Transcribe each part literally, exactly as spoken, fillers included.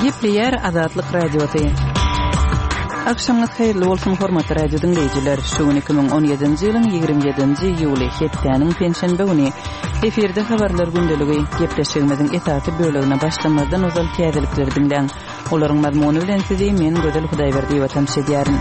Gepleýär Azatlyk Radiosy. Agşamyňyz haýyrly bolsun, hormatly radio diňleýjiler. Şu gün iki müň on ýedinji ýylyň ýigrimi ýedinji iýuly, hepdäniň penşenbe güni. Efirde habarlar gündeligi. Gepleşigimiziň esasy bölegine başlamazdan ozal täzelikleri diňläň. Olaryň mazmuny bilen sizi men Gözel Hudaýberdiýewa tanyş edýärin.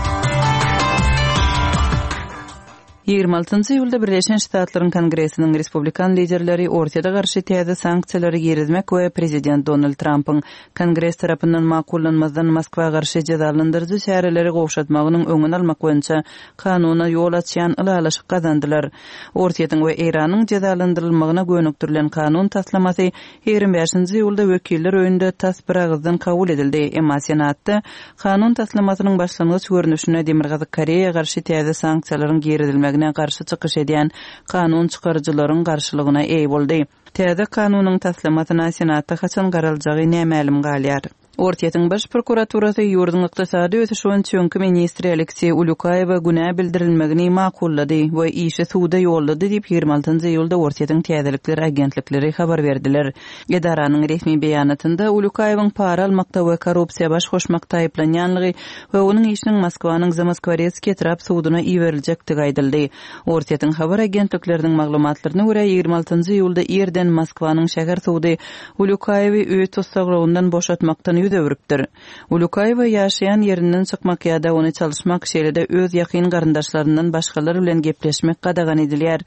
Ýigrimi altynjy iýulda Birleşen Ştatlaryň Kongresiniň respublikan liderleri Orsýete garşy täze sanksiýalary girizmek we prezident Donald Trampyň Kongres tarapyndan makullanmazdan Moskwa garşy jezalandyryjy çäreleri gowşatmagynyň öňüni almak boýunça kanuna ýol açýan ylalaşyk gazandylar. Orsýetiň we Eýranyň jezalandyrylmagyna gönükdirilen kanun taslamasy ýigrimi bäşinji iýulda wekiller öýünde tas bir agyzdan kabul edildi. Emma Senatda kanun taslamasynyň başlangyç görnüşine Demirgazyk Koreýa garşy täze sanksiýalaryň girizilmegine garşy çykyş edýän kanun çykaryjylaryň garşylygyna eý boldy. Täze kanunyň taslamasyna Senatda haçan garaljagy nämälim galýar. Orsýetiň baş prokuraturasy ýurduň ykdysady ösüş boýunça öňki ministri Alekseý Ulýukaýewe günä bildirilmegini makullady we işi suda ýollady diýip ýigrimi altynjy iýulda Orsýetiň täzelikler agentlikleri habar berdiler. Edaranyň resmi beýanatynda Ulýukaýewiň para almakda we korrupsiýa baş goşmakda aýyplanýanlygy we onuň işiniň Moskwanyň Zamoskworetskiý etrap suduna iberiljekdigi aýdyldy. Orsýetiň habar agentlikleriniň maglumatlaryna görä ýigrimi altynjy iýulda irden Moskwanyň şäher sudy Ulýukaýewi öý tussaglygyndan boşatmakdan ýüz öwrüpdir. Ulýukaýewa ýaşaýan ýerinden çykmak ýa-da ony çalyşmak, şeýle-de öz ýakyn garyndaşlaryndan başgalar bilen gepleşmek gadagan edilýär.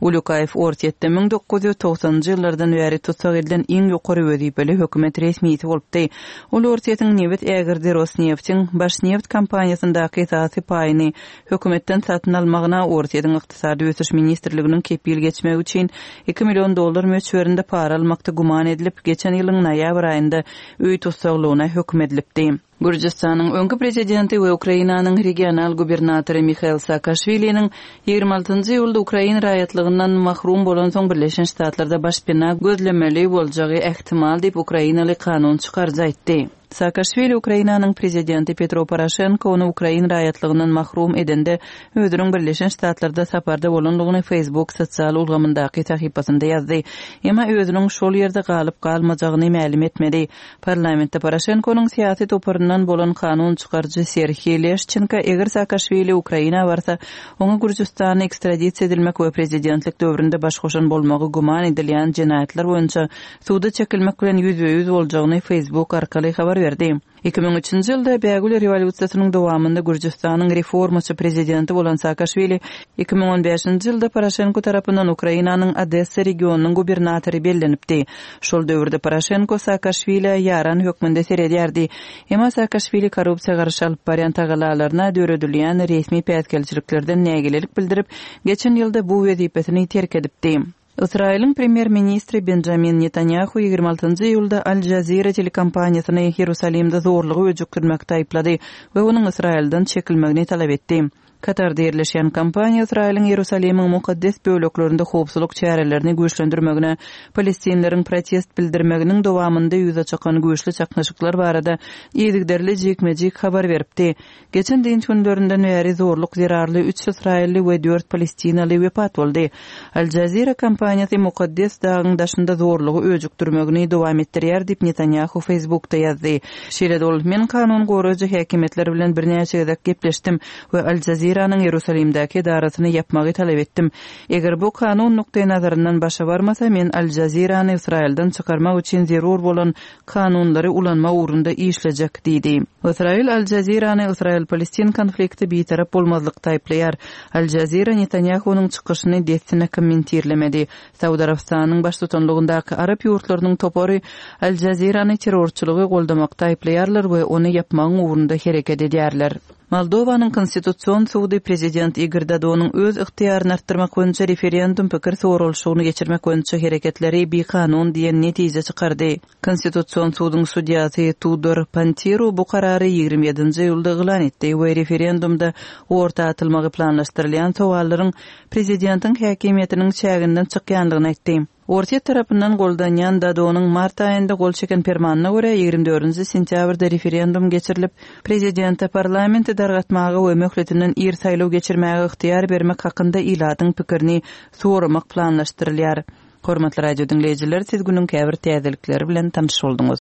Ulýukaýew Orsýetde müň dokuz ýüz togsanynjy ýyllardan bäri tussag edilen iň ýokary wezipeli hökümet resmisi bolupdy. Ol Orsýetiň nebit ägirdi Rosneftiň Başneft kompaniýasyndaky esasy paýyny hökümetden satyn almagyna Orsýetiň Ykdysady Ösüş Ministrliginiň kepil geçmegi üçin iki million dollar möçberinde para almakda güman edilip, geçen ýylyň noýabr aýynda öý tussaglygyna höküm edilipdi. Gürjüstanyň öňki prezidenti we Ukrainanyň regional gubernatory Mihail Saakaşwiliniň ýigrimi altynjy iýulda Ukrain raýatlygyndan mahrum bolansoň Birleşen Ştatlarda başpena gözlemeli boljagy ähtimal diýip Ukrainaly kanun çykaryjy aýtdy. Saakaşwili Ukrainanyň prezidenti Petro Poroşenko ony Ukrain raýatlygyndan mahrum edende özüniň Birleşen Ştatlarda saparda bolanlygyny Facebook sosial ulgamyndaky sahypasynda ýazdy. Emma özüniň şol ýerde galyp galmajagyny mälim etmedi. Parlamentde Poroşenkonyň syýasy toparyndan bolan kanun çykaryjy Serhiý Leşçenko eger Saakaşwili Ukraina barsa, oňa Gürjüstana ekstradisiýa edilmek we prezidentlik döwründe baş goşan bolmagy güman edilýän jenaýatlar boýunça suda çekilmek bilen ýüzbe-ýüz boljagyny Facebook arkaly habar berdi. Iki müň üçünji ýylda Bägül rewolýusiýasynyň dowamynda Gürjüstanyň reformaçy prezidenti bolan Saakaşwili iki müň on bäşinji ýylda Poroşenko tarapyndan Ukrainanyň Odessa regionynyň gubernatory bellenipdi. Şol döwürde Poroşenko Saakaşwili'e ýaran hökmünde seredýärdi. Emma Saakaşwili korrupsiýa garşy alyp barýan tagallalaryna döredilýän resmi päsgelçiliklerden nägilelik bildirip, geçen ýylda bu wezipesini terk edipdi. Ysraýylyň premýer-ministri Benjamin Netanyahu ýigrimi altynjy iýulda Al Jazeera telekompaniýasyny Ýerusalimde zorlugy öjükdirmekde aýyplady we onuň Ysraýyldan çekilmegini talap etdi. Katarda ýerleşen kompaniýa Ysraýylyň Ýerusalimiň mukaddes böleklerinde howpsuzlyk çärelerini güýçlendirmegine, palestinleriň protest bildirmeginiň dowamynda ýüze çykan güýçli çaknyşyklar barada yzygiderli jikme-jik habar beripdi. Geçen dynç günlerinden bäri zorluk zerarly üç Ysraýylly we dört palestinaly wepat boldy. Al Jazeera kompaniýasy mukaddes dagyň daşynda zorlugy öjükdirmegini dowam etdirýär diýip Netanyahu Facebookda ýazdy. Şeýle ol, men kanun goraýjy häkimiýetler bilen birnäçe gezek gepleşdim we Al Jazeeranyň Ýerusalimdäki edarasyny ýapmagy talap etdim. Eger bu kanun nukdaý nazaryndan başa barmasa, men Al Jazeerany Ysraýyldan çykarmak üçin zerur bolan kanunlary ulanma ugrunda işlejek diýdi. Ysraýyl Al Jazeerany Ysraýyl-Palestin konflikti bitarap bolmazlykda aýyplaýar. Al Jazeera Netanyahunyň çykyşyny dessine kommentirlemedi. Saud Arabystanyň baştutanlygyndaky Arap ýurtlarynyň topary Al Jazeerany terrorçylygy goldamakda aýyplaýarlar we ony ýapmagyň ugrunda hereket edýärler. Moldowanyň konstitusion sudy prezident Igor Dodonyň öz ygtyýaryny artdyrmak boýunça referendum pikir soralyşygyny geçirmek boýunça hereketleri bikanun diýen netije çykardy. Konstitusion suduň sudýasy Tudor Pantiru bu karary ýigrimi ýedinji iýulda yglan etdi we referendumda orta atylmagy planlaşdyrylýan sowallaryň prezidentiň häkimiýetiniň çäginden çykýandygyny aýtdy. Orsýet tarapyndan goldanýan Dodonyň mart aýynda gol çeken permanyna görä ýigrimi dördünji sentýabrda referendum geçirilip, prezidente parlamenti dargatmaga we möhletinden ir saýlaw geçirmäge ygtyýar bermek hakynda ilatyň pikirini soramak planlaşdyrylýar. Hormatly radio diňleýjiler, siz günüň käbir täzelikleri bilen tanyş bolduňyz.